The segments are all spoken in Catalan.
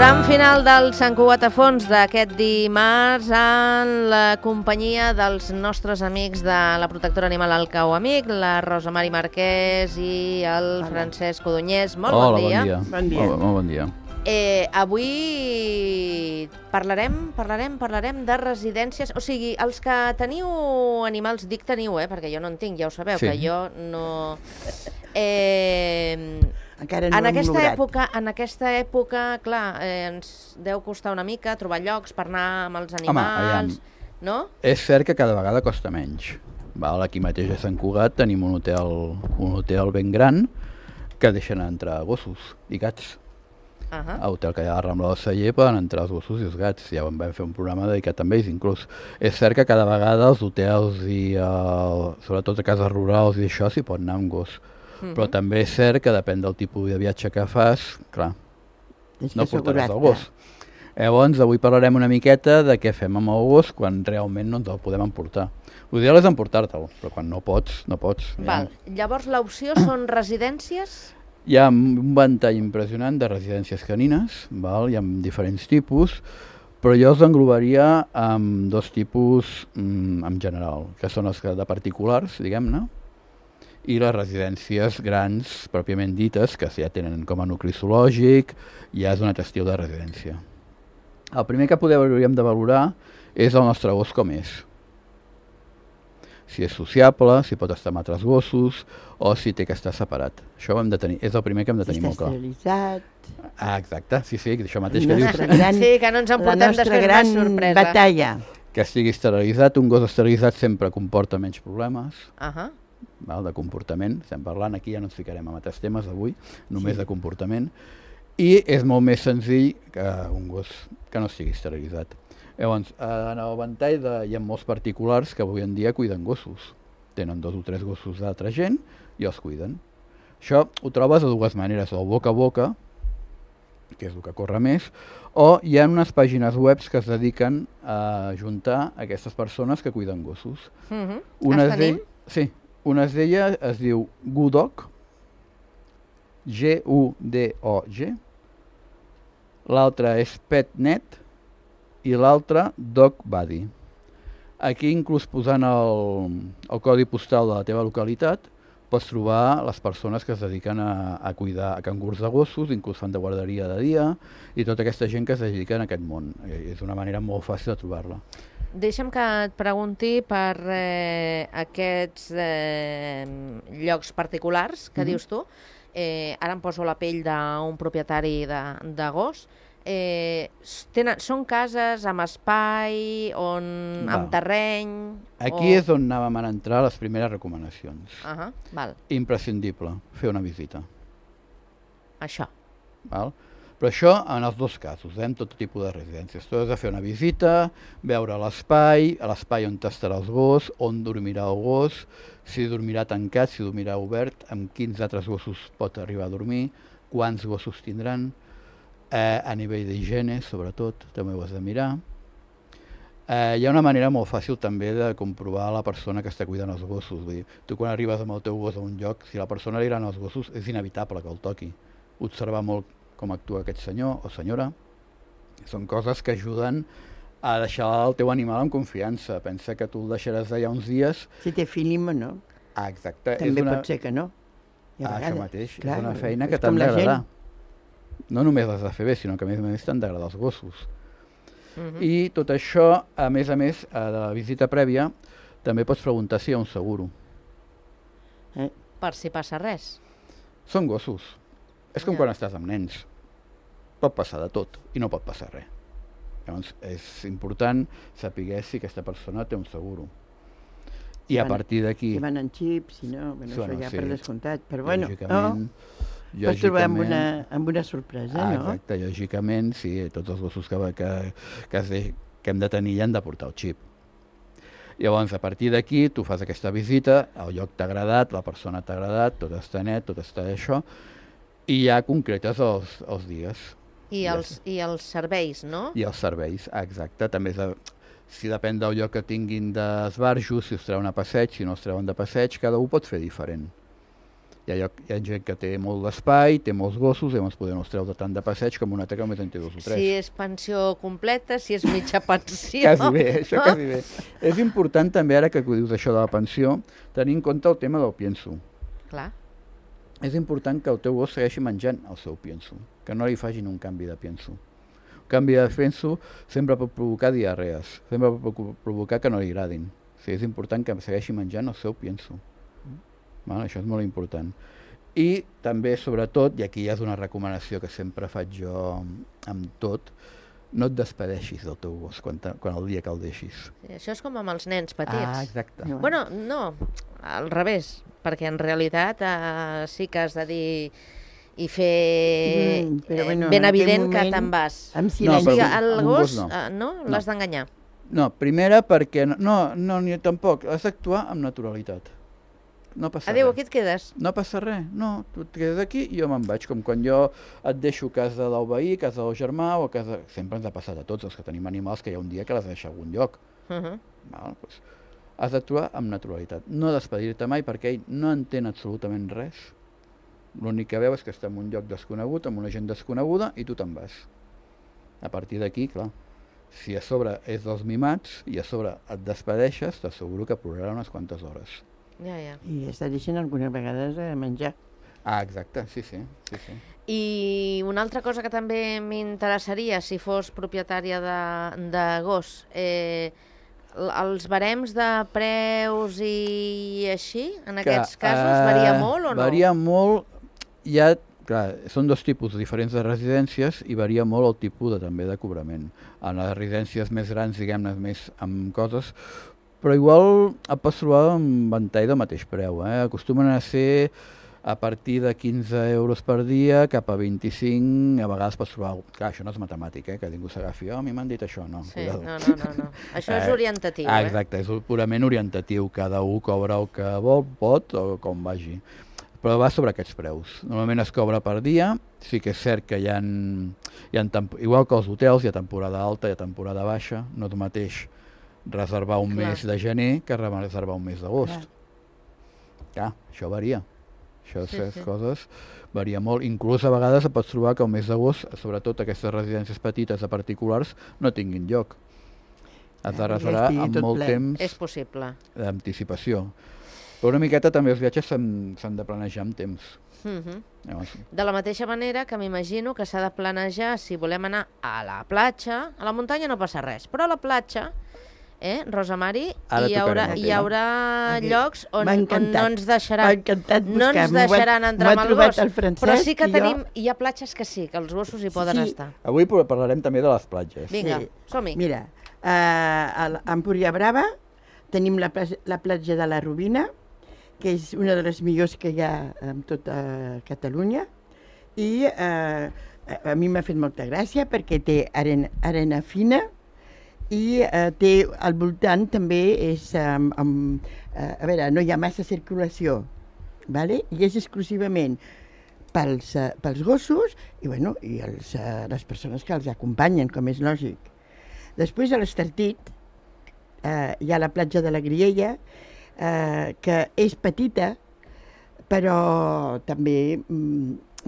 Tram final del Sant Cugat a Fons d'aquest dimarts en la companyia dels nostres amics de la protectora animal El Cau Amic, la Rosa Mari Marquès i el Francesc Codonyès. Molt bon dia. Bon dia. Molt bon dia. Avui parlarem de residències, o sigui, els que teniu animals, dic teniu, perquè jo no en tinc, ja ho sabeu, que jo no... Encara no hem lograt. En aquesta època, clar, ens deu costar una mica trobar llocs per anar amb els animals, no? És cert que cada vegada costa menys. Aquí mateix a Sant Cugat tenim un hotel ben gran que deixen entrar gossos i gats. A hotel que hi ha a Rambla del Celler poden entrar els gossos i els gats. Ja vam fer un programa dedicat a ells, inclús. És cert que cada vegada els hotels i sobretot a cases rurals i això s'hi pot anar amb gos. Però també és cert que depèn del tipus de viatge que fas, clar, no portaràs el gos. Llavors, avui parlarem una miqueta de què fem amb el gos quan realment no ens el podem emportar. L'ideal és emportar-te'l, però quan no pots, no pots. Llavors l'opció són residències? Hi ha un ventall impressionant de residències canines, hi ha diferents tipus, però jo els englobaria amb dos tipus en general, que són els de particulars, diguem-ne, i les residències grans, pròpiament dites, que ja tenen com a nucli zoològic, ja és un altre estil de residència. El primer que hauríem de valorar és el nostre gos com és. Si és sociable, si pot estar amb altres gossos, o si té que estar separat. Això ho hem de tenir, és el primer que hem de tenir molt clar. Si està esterilitzat... Exacte, sí, això mateix que dius. Sí, que no ens emportem després una sorpresa. La nostra gran batalla. Que estigui esterilitzat, un gos esterilitzat sempre comporta menys problemes. De comportament, estem parlant, aquí ja no ens ficarem en altres temes avui, només de comportament, i és molt més senzill que un gos que no estigui esterilitzat. Llavors, en el ventall hi ha molts particulars que avui en dia cuiden gossos. Tenen 2 o 3 gossos d'altra gent i els cuiden. Això ho trobes de dues maneres, o boca a boca, que és el que corre més, o hi ha unes pàgines web que es dediquen a ajuntar aquestes persones que cuiden gossos. Les tenim? Sí. Una d'elles es diu Gudog, G-U-D-O-G, l'altra és PetNet i l'altra DogBuddy. Aquí, inclús posant el codi postal de la teva localitat, pots trobar les persones que es dediquen a cuidar a cangurs de gossos, inclús fan de guarderia de dia, i tota aquesta gent que es dedica a aquest món. És una manera molt fàcil de trobar-la. Deixa'm que et pregunti per aquests llocs particulars que dius tu. Ara em poso la pell d'un propietari de gos. Són cases amb espai, amb terreny... Aquí és on anàvem a entrar les primeres recomanacions. Imprescindible, fer una visita. Això. Però això en els dos casos, en tot tipus de residències. Tu has de fer una visita, veure l'espai, a l'espai on estarà el gos, on dormirà el gos, si dormirà tancat, si dormirà obert, amb quins altres gossos pot arribar a dormir, quants gossos tindran, a nivell d'higiene, sobretot, també ho has de mirar. Hi ha una manera molt fàcil també de comprovar la persona que està cuidant els gossos. Vull dir, tu quan arribes amb el teu gos a un lloc, si la persona li agraden els gossos, és inevitable que el toqui. Observar molt com actua aquest senyor o senyora. Són coses que ajuden a deixar el teu animal amb confiança. Pensa que tu el deixaràs allà uns dies... Si té filim o no. Exacte. També pot ser que no. Això mateix, és una feina que t'han d'agradar. No només les de fer bé, sinó que a més t'han d'agradar els gossos. I tot això, a més, de la visita prèvia, també pots preguntar si hi ha un seguro. Per si passa res. Són gossos. És com quan estàs amb nens. Pot passar de tot i no pot passar res. Llavors és important saber si aquesta persona té un seguro. I a partir d'aquí... Si van en xips, si no, això ja per descomptat. Però bueno, pots trobar amb una sorpresa, no? Exacte, lògicament, sí, tots els gossos que hem de tenir ja han de portar el xip. Llavors, a partir d'aquí, tu fas aquesta visita, el lloc t'ha agradat, la persona t'ha agradat, tot està net, tot està això, i ja concretes els dies. I els serveis, no? I els serveis, exacte. També si depèn del lloc que tinguin d'esbarjo, si us treuen a passeig, si no us treuen de passeig, cada un pot fer diferent. Hi ha gent que té molt d'espai, té molts gossos, i ens podem treure tant de passeig com una altra que només en té 2 o 3. Si és pensió completa, si és mitja pensió... Quasi bé, això quasi bé. És important també, ara que dius això de la pensió, tenir en compte el tema del pienso. Clar. És important que el teu gos segueixi menjant el seu pienso, que no li facin un canvi de pienso. Un canvi de pienso sempre pot provocar diarrees, sempre pot provocar que no li agradin. O sigui, és important que segueixi menjant el seu pienso. Això és molt important. I també, sobretot, i aquí ja és una recomanació que sempre faig jo amb tot, no et despedeixis del teu gos quan el dia que el deixis. Sí, això és com amb els nens petits. Exacte. Bueno, no, al revés, perquè en realitat sí que has de dir i fer ben evident que te'n vas. Amb silenci. El gos no l'has d'enganyar. No, primera perquè ni tampoc, has d'actuar amb naturalitat. No passa Adéu, res. aquí et quedes. No passa res, no, tu et quedes aquí i jo me'n vaig, com quan jo et deixo a casa del veí, a casa del germà o a casa... Sempre ens ha passat a tots els que tenim animals que hi ha un dia que les deixa a algun lloc. Doncs, has d'actuar amb naturalitat, no despedir-te mai perquè ell no entén absolutament res. L'únic que veu és que està en un lloc desconegut, amb una gent desconeguda, i tu te'n vas. A partir d'aquí, clar, si a sobre és dels mimats i a sobre et despedeixes, t'asseguro que plorarà unes quantes hores. Ja. I està deixant algunes vegades a menjar. Exacte, sí. I una altra cosa que també m'interessaria, si fos propietària de gos, els barems de preus i així, en aquests casos, varia molt o no? Varia molt, clar, són 2 tipus diferents de residències i varia molt el tipus també de cobrament. En les residències més grans, diguem-ne, més amb coses, però igual et pots trobar un ventall del mateix preu. Acostumen a ser a partir de 15 euros per dia cap a 25, a vegades pots trobar... Clar, això no és matemàtic, que ningú s'agafi, a mi m'han dit això, no. Sí, no. Això és orientatiu. Exacte, és purament orientatiu, cada un cobra el que vol, pot o com vagi. Però va sobre aquests preus. Normalment es cobra per dia, sí que és cert que hi ha igual que els hotels, hi ha temporada alta, hi ha temporada baixa, no és el mateix reservar un mes de gener que reservar un mes d'agost. Clar, això varia. Aquestes coses varia molt. Inclús a vegades et pots trobar que el mes d'agost, sobretot aquestes residències petites de particulars, no tinguin lloc. Has de reservar amb molt temps d'anticipació. Però una miqueta també els viatges s'han de planejar amb temps. De la mateixa manera que m'imagino que s'ha de planejar si volem anar a la platja. A la muntanya no passa res, però a la platja, Rosa Mari, hi haurà llocs on no ens deixaran entrar amb el gos, però sí que hi ha platges que sí, que els gossos hi poden estar. Avui parlarem també de les platges. Vinga, som-hi. Mira, a Empúria Brava tenim la platja de la Robina, que és una de les millors que hi ha en tota Catalunya, i a mi m'ha fet molta gràcia perquè té arena fina i té al voltant també a veure, no hi ha massa circulació, i és exclusivament pels gossos i les persones que els acompanyen, com és lògic. Després a l'Estartit hi ha la platja de la Griella, que és petita, però també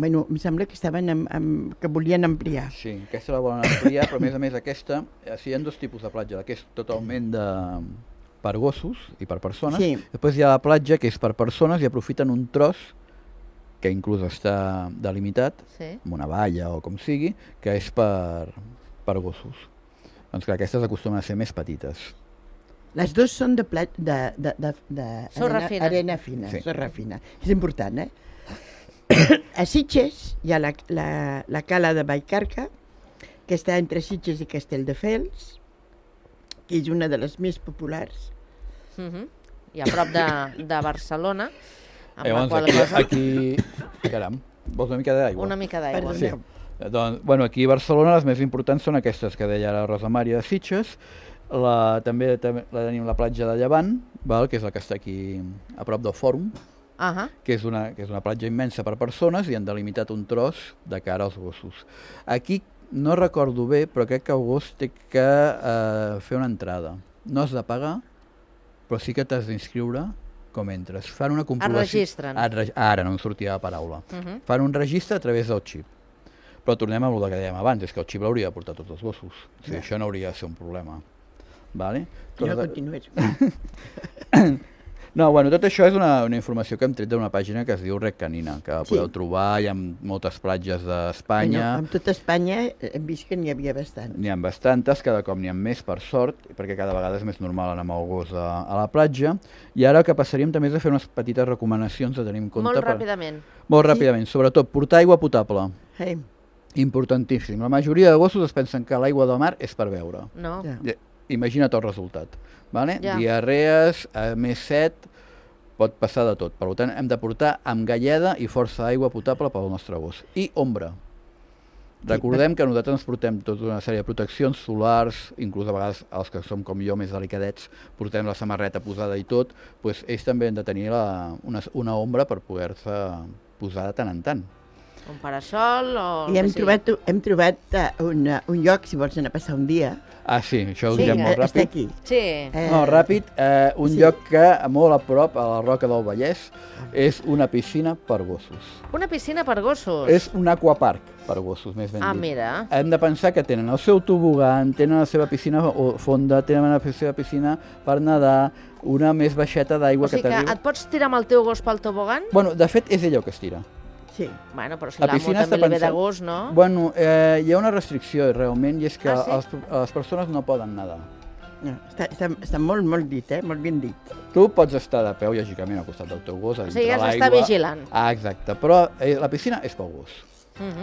em sembla que que volien ampliar. Sí, aquesta la volen ampliar, però a més aquesta, hi ha 2 tipus de platja, que és totalment per gossos i per persones. Després hi ha la platja que és per persones i aprofiten un tros, que inclús està delimitat, amb una valla o com sigui, que és per gossos. Doncs clar, aquestes acostumen a ser més petites. Les 2 són arena fina, sorra fina. És important, A Sitges hi ha la cala de Vallcarca, que està entre Sitges i Castelldefels, que és una de les més populars. I a prop de Barcelona, amb la qual cosa... Aquí... Caram, vols una mica d'aigua? Una mica d'aigua. Sí. Doncs, aquí a Barcelona les més importants són aquestes que deia la Rosa Mari de Sitges. També tenim la platja de Llevant, que és la que està aquí a prop del Fòrum, que és una platja immensa per persones i han delimitat un tros de cara als gossos. Aquí no recordo bé, però crec que el gos té que fer una entrada. No has de pagar, però sí que t'has d'inscriure com entres. Fan una comprovació... Es registren. Ara no em sortia la paraula. Fan un registre a través del xip. Però tornem a el que dèiem abans, és que el xip l'hauria de portar tots els gossos. O sigui, això no hauria de ser un problema. Vale? No continues. No, bueno, tot això és una informació que hem tret d'una pàgina que es diu Red Canina, que podeu trobar, hi ha moltes platges d'Espanya. En tota Espanya hem vist que n'hi havia bastant. N'hi ha bastantes, cada cop n'hi ha més, per sort, perquè cada vegada és més normal anar amb el gos a la platja. I ara el que passaríem també és a fer unes petites recomanacions de tenir en compte. Molt ràpidament. Molt ràpidament, sobretot portar aigua potable. Importantíssim. La majoria de gossos es pensen que l'aigua del mar és per beure. No. Imagina't el resultat. Diarrees, més set, pot passar de tot. Per tant, hem de portar amb galleda i força aigua potable pel nostre gos. I ombra. Recordem que nosaltres ens portem tota una sèrie de proteccions solars, inclús a vegades els que som com jo més delicadets, portem la samarreta posada i tot, doncs ells també han de tenir una ombra per poder-se posar de tant en tant. Un parasol o... I hem trobat un lloc, si vols anar a passar un dia. Ah, sí, això ho direm molt ràpid. Està aquí. Sí. No, ràpid, un lloc que molt a prop, a la Roca del Vallès, és una piscina per gossos. Una piscina per gossos? És un aquapark per gossos, més ben dit. Ah, mira. Hem de pensar que tenen el seu tobogan, tenen la seva piscina fonda, tenen la seva piscina per nedar, una més baixeta d'aigua que t'arriba. O sigui que et pots tirar amb el teu gos pel tobogan? Bueno, de fet, és ell el que es tira. Sí. Bueno, però si l'amo també li ve de gust, no? Bueno, hi ha una restricció, realment, i és que les persones no poden nedar. No, està molt, molt dit, molt ben dit. Tu pots estar de peu, lògicament, al costat del teu gos, a dintre l'aigua. O sigui, has d'estar vigilant. Ah, exacte, però la piscina és pel gos.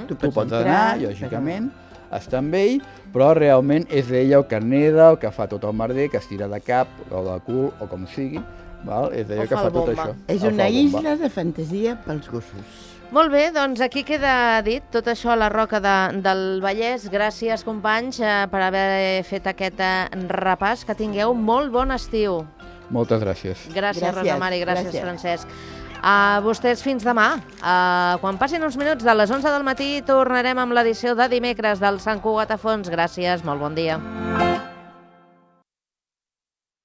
Tu pots anar, lògicament, estar amb ell, però realment és ell el que neda, el que fa tot el merder, que es tira de cap o de cul, o com sigui, és ell el que fa tot això. És una isla de fantasia pels gossos. Molt bé, doncs aquí queda dit tot això a la Roca del Vallès. Gràcies, companys, per haver fet aquest repàs. Que tingueu molt bon estiu. Moltes gràcies. Gràcies, Rosa Mari, gràcies, Francesc. A vostès fins demà. Quan passin uns minuts de les 11 del matí tornarem amb l'edició de dimecres del Sant Cugat a Fons. Gràcies, molt bon dia.